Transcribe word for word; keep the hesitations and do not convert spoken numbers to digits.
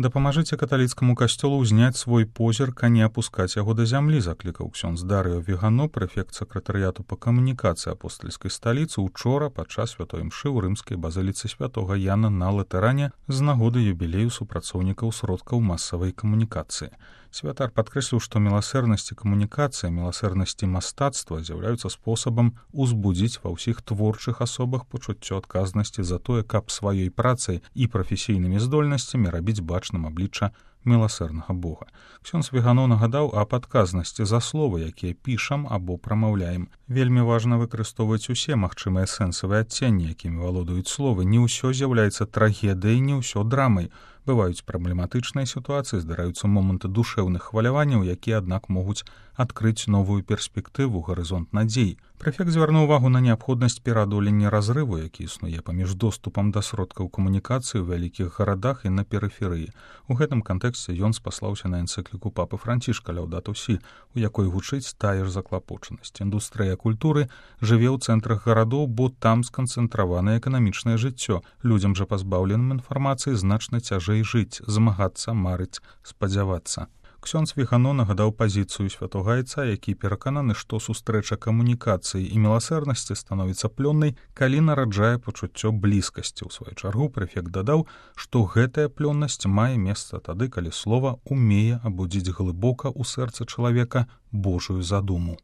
Дапамажыце каталіцкаму касцёлу ўзняць свой позірк, а не апускаць яго да зямлі, заклікаў ксёндз Дарыо Вігано, прэфект сакратарыяту па камунікацыі апостальскай сталіцы, учора падчас святой імшы ў рымскай базыліцы святога Яна на Латэране з нагоды юбілею супрацоўнікаў сродкаў масавай камунікацыі. Святар падкрэсліў, што міласэрнасць і камунікацыя, міласэрнасць і мастацтва з'яўляюцца спосабам узбудзіць ва ўсіх творчых асобах пачуццё адказнасці за тое, каб сваёй працай і прафесійнымі здольнасцямі рабіць бачным аблічча міласэрнага Бога. Ксёндз Вігано нагадаў аб адказнасці за словы, якія пішам або прамаўляем. Вельмі важна выкарыстоўваць усе магчымыя сэнсавыя адценні, якімі валодаюць словы. Не ўсё з'яўляецца трагедыяй, не ўсё драмай. Бываюць праблематычныя сітуацыі, здараюцца моманты душэўных хваляванняў, якія, аднак, могуць адкрыць новую перспектыву, гарызонт надзей. Прэфект звярнуў увагу на неабходнасць пераадолення разрыву, які існуе паміж доступам да сродкаў камунікацыі ў вялікіх гарадах і на перыферыі. У гэтым кантэксце ён спаслаўся на энцыкліку папы Францішка «Лаўдату сі», у якой гучыць тая ж заклапочанасць. Індустрыя культуры жыве ў цэнтрах гарадоў, бо там сканцэнтраванае эканамічнае жыццё. Людзям жа пазбаўленым інфармацыі значна цяжэй жыць, змагацца, марыць, спадзявацца. Ксёндз Вігано нагадаў пазіцыю святога айца, які перакананы, што сустрэча камунікацыі і міласэрнасці становіцца плённай, калі нараджае пачуццё блізкасці. У сваю чаргу прэфект дадаў, што гэтая плённасць мае месца тады, калі слова умее абудзіць глыбока ў сэрцы чалавека Божую задуму.